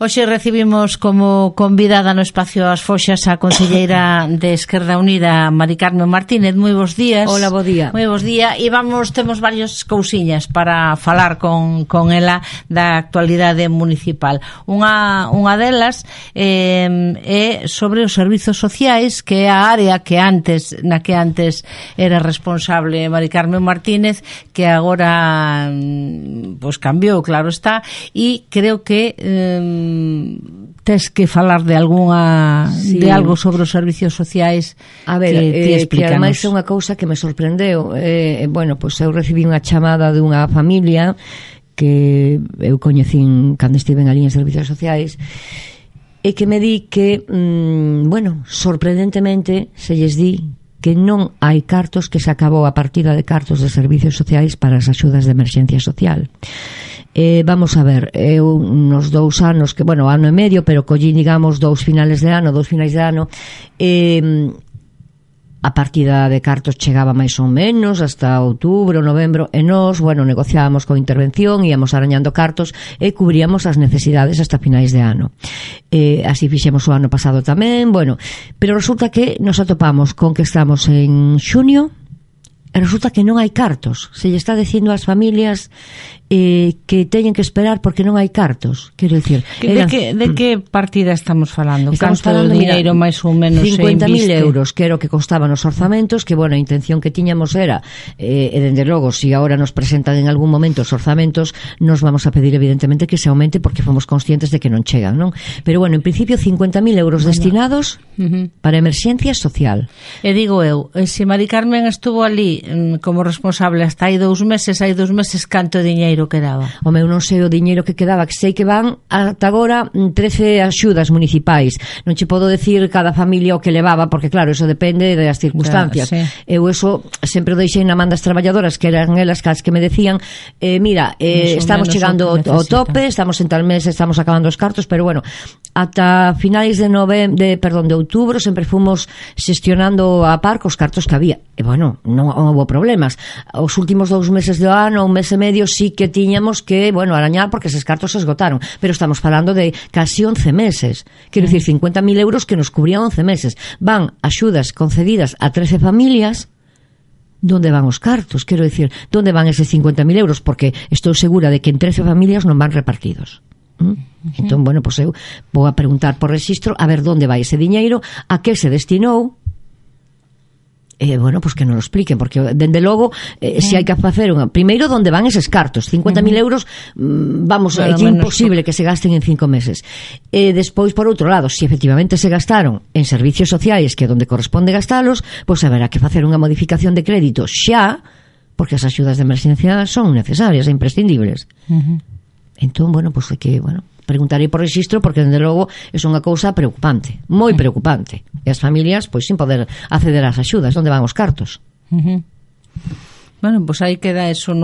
Hoxe recibimos como convidada no espacio As Foxas a conselleira de Esquerda Unida, Mari Carmen Martínez. Moi bons días. Hola, bo día. Moi bons días. E temos varias cousiñas para falar con ela da actualidade municipal. Unha delas é sobre os servizos sociais, que é a área na que antes era responsable Mari Carmen Martínez, que agora pues cambiou, claro está, e creo que tes que falar de de algo sobre os servicios sociais. A ver, que ademais é unha cousa que me sorprendeu. Bueno, pois eu recibí unha chamada dunha familia que eu coñecín cando estiven ali en servicios sociais e que me di que bueno, sorprendentemente se lles di que non hai cartos, que se acabou a partida de cartos de servicios sociais para as axudas de emerxencia social. Vamos a ver, eu nos 2 anos, que bueno, ano e medio, pero collí, digamos, 2 finais de ano, a partida de cartos chegaba máis ou menos hasta outubro, novembro, e nós, bueno, negociábamos con intervención, íamos arañando cartos e cubríamos as necesidades hasta finais de ano. Así fixemos o ano pasado tamén, bueno, pero resulta que nos atopamos con que estamos en xuño e resulta que non hai cartos. Se lle está dicindo ás familias que teñen que esperar porque non hai cartos. Quero dicir, de que partida estamos falando? Estamos falando de dinheiro máis ou menos 50.000 euros, que era o que costaban os orzamentos, que, bueno, a intención que tiñamos era, e dende logo, se agora nos presentan en algún momento os orzamentos, nos vamos a pedir evidentemente que se aumente porque fomos conscientes de que non chegan, non? Pero, bueno, en principio 50.000 euros destinados para emerxencia social. E digo eu, se Mari Carmen estuvo ali como responsable hasta hai 2 meses, canto diñeiro quedaba? O meu non sei o diñeiro que quedaba, que sei que van ata agora 13 axudas municipais. Non che podo decir cada familia o que levaba, porque claro, eso depende das circunstancias. Claro, sí. Eu eso sempre o deixei na man das traballadoras, que eran elas as que me decían, mira, estamos chegando ao tope, estamos en tal mes, estamos acabando os cartos, pero bueno, ata finais de outubro sempre fomos xestionando a par cos cartos que había. E bueno, non houve problemas. Os últimos 2 meses do ano, 1 mes e medio, sí que tiñamos que, bueno, arañar porque eses cartos se esgotaron, pero estamos falando de casi 11 meses. Quero dicir, 50.000 euros que nos cubrían 11 meses. Van axudas concedidas a 13 familias. Donde van os cartos? Quero dicir, donde van eses 50.000 euros? Porque estou segura de que en 13 familias non van repartidos. Entón, bueno, pues eu vou a preguntar por rexistro a ver onde vai ese diñeiro, a que se destinou. Bueno, pues que non lo expliquen, porque dende logo se hai que facer primeiro onde van eses cartos, 50.000 euros, vamos, é imposible que se gasten en 5 meses. Despois, por outro lado, se efectivamente se gastaron en servicios sociais, que é onde corresponde gastalos, pois haberá que facer unha modificación de crédito xa, porque as axudas de emerxencia son necesarias e imprescindibles. Entón, bueno, pues é que, bueno, preguntarei por rexistro, porque dende logo é unha cousa preocupante, moi preocupante. E as familias, pois, sin poder acceder ás axudas, onde van os cartos? Bueno, pois aí queda eso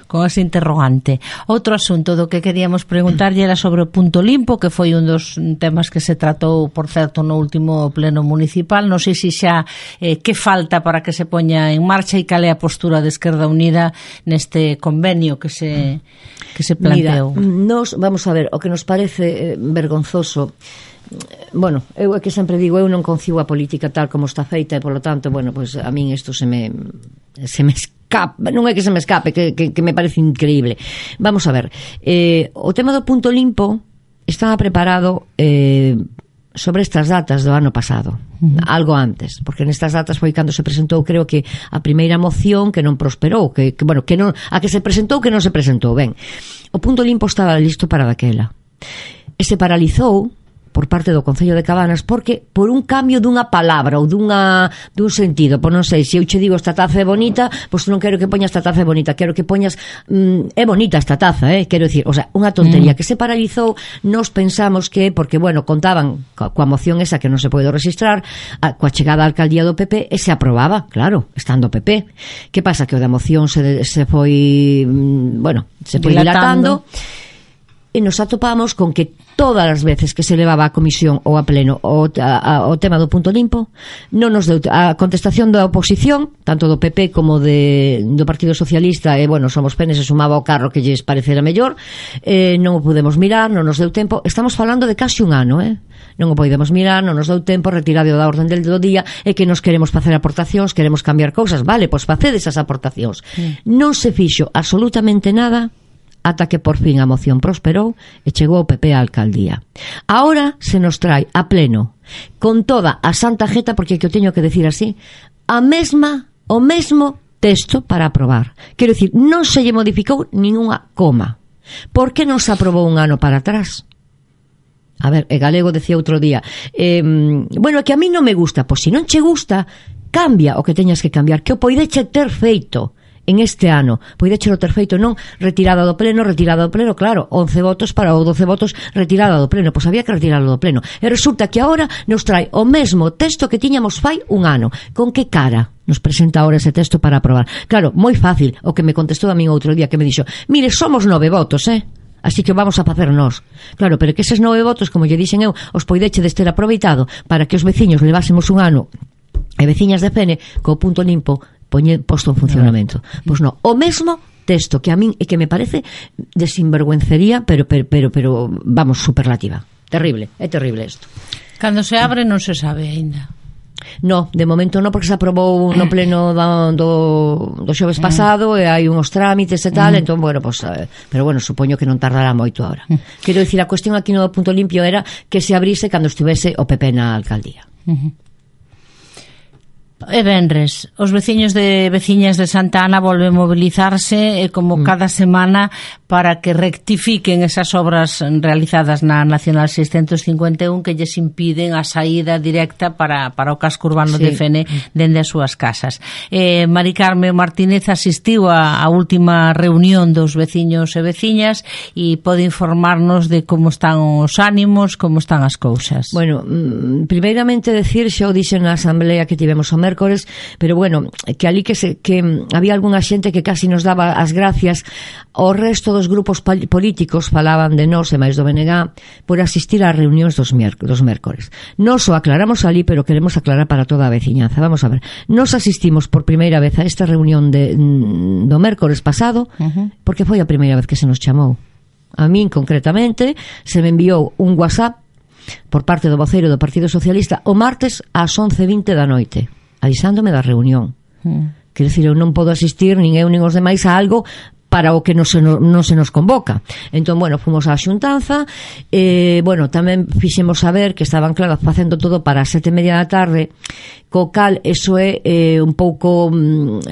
con ese interrogante. Outro asunto do que queríamos preguntarlle era sobre o punto limpo, que foi un dos temas que se tratou, por certo, no último pleno municipal. Non sei se xa que falta para que se poña en marcha e cal é a postura de Esquerda Unida neste convenio que se planteou. Mira, vamos a ver, o que nos parece vergonzoso. Bueno, eu é que sempre digo, eu non concibo a política tal como está feita e, polo tanto, bueno, pues a min isto se me escapa, non é que se me escape, que me parece increíble. Vamos a ver, o tema do punto limpo estaba preparado sobre estas datas do ano pasado, algo antes, porque nestas datas foi cando se presentou, creo que a primeira moción que non prosperou, que non, a que se presentou que non se presentou. Ben, o punto limpo estaba listo para daquela e se paralizou por parte do Concello de Cabanas, porque por un cambio dunha palabra ou dun sentido, por non sei, se eu che digo esta taza é bonita, pois non quero que poñas esta taza é bonita, quero que poñas é bonita esta taza, quero dicir, o sea, unha tontería que se paralizou. Nos pensamos que, porque, bueno, contaban coa moción esa que non se pode registrar, coa chegada á alcaldía do PP, e se aprobaba, claro, estando o PP. Que pasa? Que o da moción se foi, bueno, se foi dilatando. e nos atopamos con que todas as veces que se levaba a comisión ou a pleno o tema do punto limpo, non nos deu a contestación da oposición, tanto do PP como do Partido Socialista, e bueno, somos penes, se sumaba o carro que lles parecera mellor, non o podemos mirar, non nos deu tempo. Estamos falando de casi un ano, non o podemos mirar, non nos deu tempo, retirado da orden del día, e que nos queremos facer aportacións, queremos cambiar cousas, vale, pois facedes esas aportacións. Non se fixo absolutamente nada ata que por fin a moción prosperou e chegou o PP á alcaldía. Ahora se nos trae a pleno, con toda a santa jeta, porque que o teño que decir así, o mesmo texto para aprobar. Quero dicir, non se lle modificou ninguna coma. Por que non se aprobou un ano para atrás? A ver, Galego decía outro día, bueno, que a mí non me gusta, pois se non che gusta, cambia o que teñas que cambiar, que o poideche ter feito en este ano, poidechelo ter feito, non retirada do pleno, claro, 11 votos para o 12 votos retirada do pleno, pois había que retirarlo do pleno, e resulta que agora nos trae o mesmo texto que tiñamos fai un ano. Con que cara nos presenta ahora ese texto para aprobar? Claro, moi fácil, o que me contestou a min outro día, que me dixo, mire, somos 9 votos, así que vamos a facer nós. Claro, pero que eses 9 votos, como lle dixen eu, os poidechedes ter aproveitado para que os veciños levásemos un ano, e veciñas de Fene, co punto limpo posto en funcionamento. Pois non, o mesmo texto que a min e que me parece de sinvergüencería, pero vamos, superlativa. Terrible, é terrible isto. Cando se abre non se sabe aínda. No, de momento non, porque se aprobou no pleno do xoves pasado e hai uns trámites e tal, entón, bueno, pues, pero bueno, supoño que non tardará moito ahora. Quero dicir, a cuestión aquí no punto limpio era que se abrise cando estivese o PP na alcaldía. E venres, os veciños de veciñas de Santa Ana volven a mobilizarse como cada semana para que rectifiquen esas obras realizadas na Nacional 651 que lles impiden a saída directa para o casco urbano de Fene dende as súas casas. Mari Carme Martínez asistiu a última reunión dos veciños e veciñas e pode informarnos de como están os ánimos, como están as cousas. Bueno, primeiramente decir, xa o dixen na asamblea que tivemos o mércores, pero bueno, que ali que había algunha xente que casi nos daba as gracias. O resto dos grupos políticos falaban de nós e máis do BNG por asistir ás reunións dos mércores. Nos o aclaramos ali, pero queremos aclarar para toda a veciñanza. Vamos a ver, nos asistimos por primeira vez a esta reunión do mércores pasado, porque foi a primeira vez que se nos chamou. A min, concretamente, se me enviou un WhatsApp por parte do voceiro do Partido Socialista o martes ás 11:20 da noite, avisándome da reunión. Quero dicir, eu non podo asistir, nin eu nin os demais, a algo para o que non se nos convoca. Entón, bueno, fomos á xuntanza, bueno, tamén fixemos saber que estaban, claro, facendo todo para as 7:30 da tarde, co cal eso é un pouco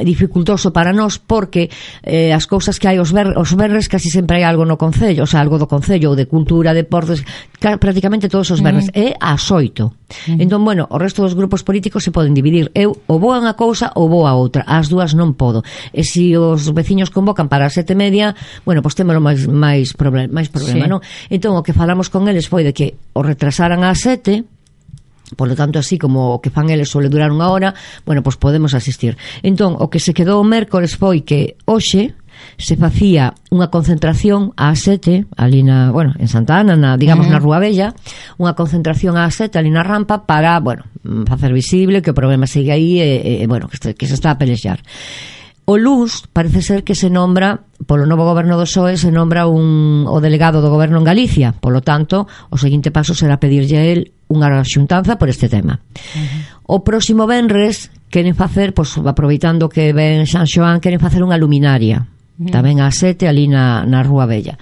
dificultoso para nós, porque as cousas que hai os verres casi sempre hai algo no Concello, o sea, algo do Concello, ou de Cultura, Deportes, prácticamente todos os verres, é ás 8. Entón, bueno, o resto dos grupos políticos se poden dividir. Eu ou vou a unha cousa ou vou a outra, as dúas non podo. E se os veciños convocan para as 7:30, bueno, pois témolo máis problema, non? Entón, o que falamos con eles foi de que o retrasaran ás 7, por lo tanto, así como o que fan eles suele durar unha hora, bueno, pois podemos asistir. Entón, o que se quedou o mércores foi que hoxe se facía unha concentración ás 7 ali en Santa Ana, digamos na Rúa Bella, unha concentración ás 7 ali na rampa para, bueno, facer visible que o problema sigue aí e bueno, que se está a pelexar. O luns parece ser que se nombra polo novo goberno do PSOE, se nombra o delegado do goberno en Galicia, polo tanto o seguinte paso será pedirlle a él unha xuntanza por este tema. O próximo venres queren facer, pois aproveitando que ven San Xoán, queren facer unha luminaria tamén ás 7 ali na Rúa Bella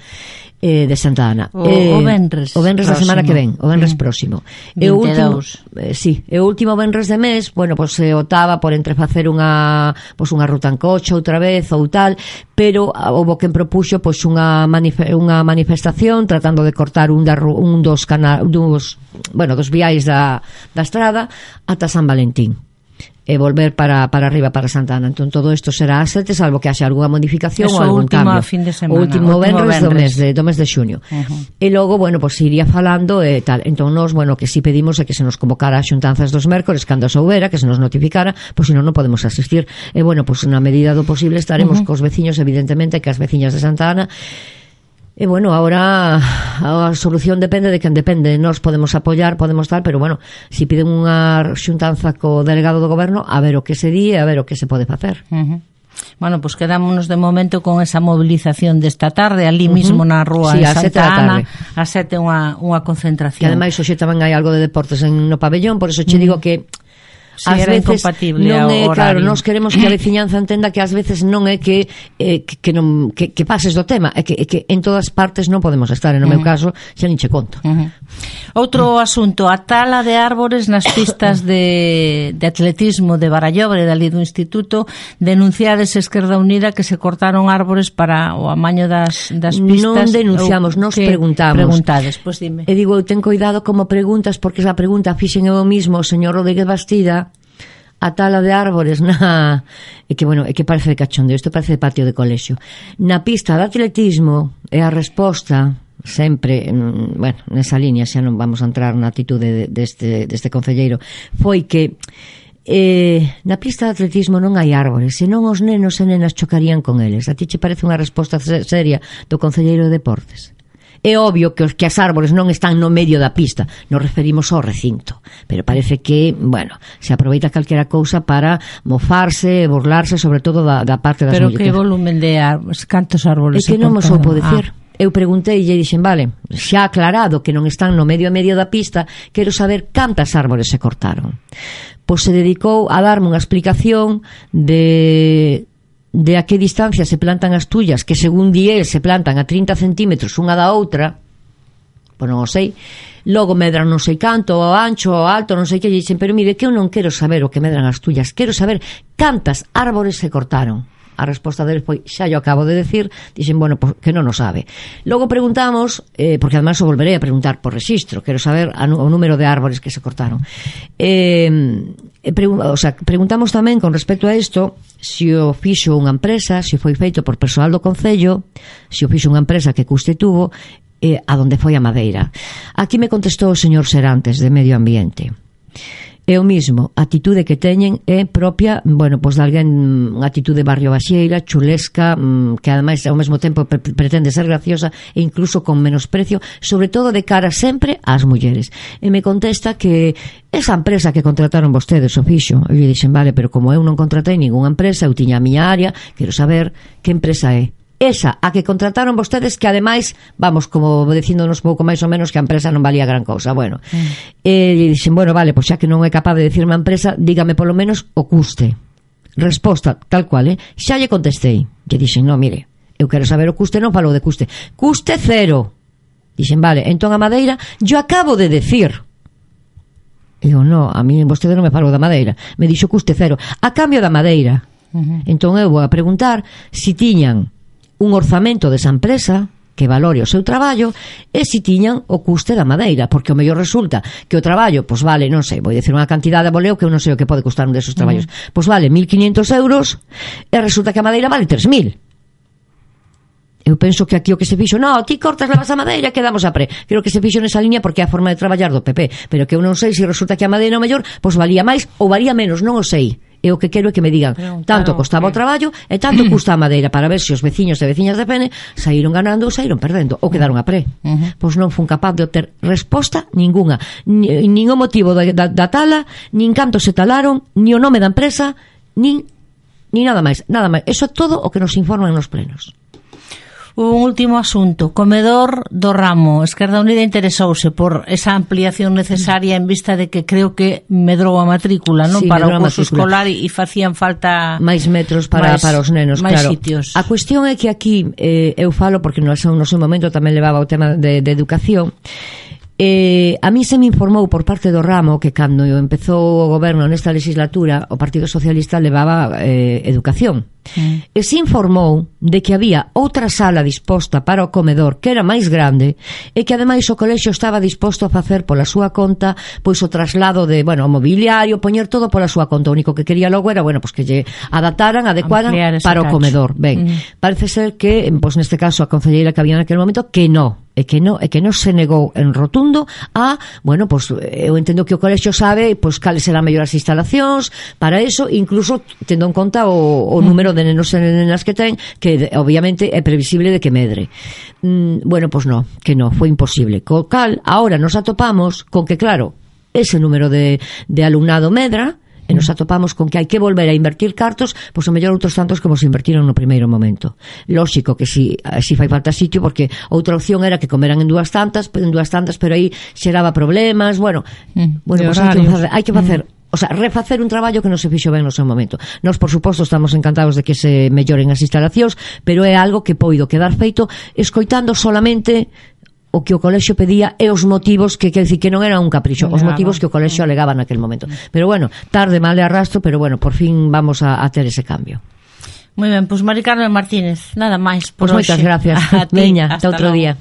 de Santa Ana. O venres da semana que ven, o venres próximo. E o último venres de mes, bueno, pois se optaba por entrefacer unha ruta en coche outra vez ou tal, pero houbo quen propuxo pois unha manifestación tratando de cortar un dos viais da estrada ata San Valentín e volver para arriba, para Santa Ana. Entón todo isto será ás 7, salvo que haxa algunha modificación ou algún cambio. O último venres do mes de xuño. E logo, bueno, pois iría falando e tal. Entón nós, bueno, que si pedimos é que se nos convocara a xuntanzas dos mércores cando soubera, que se nos notificara, pois senón non podemos asistir. E bueno, pois na medida do posible estaremos cos veciños, evidentemente, que as veciñas de Santa Ana E, bueno, ahora a solución depende de quen depende. Nós podemos apoiar, podemos tal, pero, bueno, si piden unha xuntanza co delegado do goberno, a ver o que se di e a ver o que se pode facer. Bueno, pues quedámonos de momento con esa movilización desta tarde, ali mismo na rúa sí, en Santa Ana, a 7 unha concentración. Que ademais hoxe tamén hai algo de deportes no pabellón, por eso che digo que ás veces incompatible non é, horario. claro, nós queremos que a veciñanza entenda que ás veces non é que pases do tema, é que en todas partes non podemos estar, no meu caso xa nin che conto. Outro asunto, a tala de árbores nas pistas de atletismo de Barallobre, dali do Instituto. Denunciades Esquerda Unida que se cortaron árbores para o amaño das pistas. Non denunciamos, nos preguntamos. Preguntades, pois dime. E digo, eu ten cuidado como preguntas, porque esa pregunta fixen eu mismo o señor Rodríguez Bastida, a tala de árbores é que parece de cachondeo, isto parece de patio de colexio. Na pista de atletismo é a resposta sempre, bueno, nesa línea xa non vamos a entrar na actitude deste concelleiro, foi que na pista de atletismo non hai árbores, senón os nenos e nenas chocarían con eles. A ti che parece unha resposta seria do concelleiro de Deportes? É obvio que as árbores non están no medio da pista, nos referimos ao recinto, pero parece que, bueno, se aproveita calquera cousa para mofarse, burlarse, sobre todo da parte das mulleres. Pero que volumen de árbores, cantos árboles se cortaron? É que non me soupo dicir. Eu preguntei e dixen, vale, xa aclarado que non están no medio da pista, quero saber cantas árbores se cortaron. Pois se dedicou a darme unha explicación de a que distancia se plantan as tullas, que según di el se plantan a 30 centímetros unha da outra, pois non o sei. Logo medran non sei canto, o ancho, o alto, non sei que, e dixen, pero mire, que eu non quero saber o que medran as tullas, quero saber cantas árbores se cortaron. A resposta deles foi, xa yo acabo de decir. Dixen, bueno, pues, que non o sabe. Logo preguntamos, porque además o volverei a preguntar por rexistro, quero saber o número de árbores que se cortaron. Preguntamos tamén con respecto a isto se o fixo unha empresa, se foi feito por persoal do Concello, se o fixo unha empresa que custe tuvo, a donde foi a madeira. Aquí me contestou o señor Serantes de Medio Ambiente. É o mismo, a atitude que teñen é propia, bueno, pois de alguén, unha atitude barrio baixeira, chulesca, que ademais ao mesmo tempo pretende ser graciosa e incluso con menosprecio, sobre todo de cara sempre ás mulleres. E me contesta que esa empresa que contrataron vostedes o fixo. Eu lle dixen, vale, pero como eu non contratei ningunha empresa, eu tiña a miña área, quero saber que empresa é. Esa, a que contrataron vostedes, que ademais, vamos, como dicíndonos pouco máis ou menos que a empresa non valía gran cousa. Bueno, e dixen, bueno, vale, pois xa que non é capaz de dicirme a empresa, dígame polo menos o custe. Resposta, tal cual, xa lle contestei. Lle dixen, no, mire, eu quero saber o custe, non falou de custe. Custe cero. Dixen, vale, entón a madeira, yo acabo de decir. E eu, no, a mí vostede non me falou da madeira. Me dixo custe cero. A cambio da madeira. Entón eu vou a preguntar si tiñan un orzamento desa empresa que valore o seu traballo e se tiñan o custe da madeira, porque o mellor resulta que o traballo, pois vale, non sei, vou dicir unha cantidade de boleo que eu non sei o que pode costar un desos traballos, pois vale 1.500 euros e resulta que a madeira vale 3.000. Eu penso que aquí o que se fixo, no, ti cortas, levas a madeira, quedamos a pre. Creo que se fixo nesa liña porque é a forma de traballar do PP, pero que eu non sei se resulta que a madeira o mellor, pois valía máis ou valía menos, non o sei. E o que quero é que me digan tanto costaba o traballo e tanto custa a madeira, para ver se os veciños e veciñas de Pene saíron ganando ou saíron perdendo ou quedaron a pre. Pois non fun capaz de obter resposta ninguna, nin o motivo da tala, nin canto se talaron, ni o nome da empresa, ni nada máis, nada máis. Eso é todo o que nos informan nos plenos. Un último asunto, comedor do Ramo. Esquerda Unida interesouse por esa ampliación necesaria en vista de que creo que medrou a matrícula, non? Sí, para o curso escolar e facían falta máis metros para os nenos, claro. Sitios. A cuestión é que aquí eu falo porque no seu momento tamén levaba o tema de educación. A mí se me informou por parte do Ramo que cando empezou o goberno nesta legislatura o Partido Socialista levaba educación. E se informou de que había outra sala disposta para o comedor que era máis grande e que ademais o colexio estaba disposto a facer pola súa conta pois o traslado de, bueno, o mobiliario, poñer todo pola súa conta. O único que quería logo era, bueno, pois que lle adecuaran para o comedor. Ben, parece ser que, pois neste caso a concelleira que había naquele momento que non se negou en rotundo a, bueno, pois eu entendo que o colexio sabe pois cales serán mellor as instalacións para eso, incluso tendo en conta o número de de nenos e nenas que ten, que obviamente é previsible de que medre. Bueno, pois no, que no, foi imposible. Co cal, ahora nos atopamos con que, claro, ese número de alumnado medra, e nos atopamos con que hai que volver a invertir cartos, pois o mellor outros tantos como se invertiron no primeiro momento. Lóxico que si fai falta sitio, porque outra opción era que comeran en dúas tantas, pero aí xeraba problemas, bueno, pois hai que facer o sea, refacer un traballo que non se fixo ben no seu momento. Nós, por suposto, estamos encantados de que se melloren as instalacións, pero é algo que poido quedar feito escoitando solamente o que o colexio pedía e os motivos que quer dicir que non era un capricho, os motivos que o colexio alegaba naquel momento. Pero bueno, tarde, mal de arrastro, pero bueno, por fin vamos a ter ese cambio. Moi ben, pois Mari Carmen Martínez, nada máis por hoxe. Moitas gracias. Veña, ata outro día.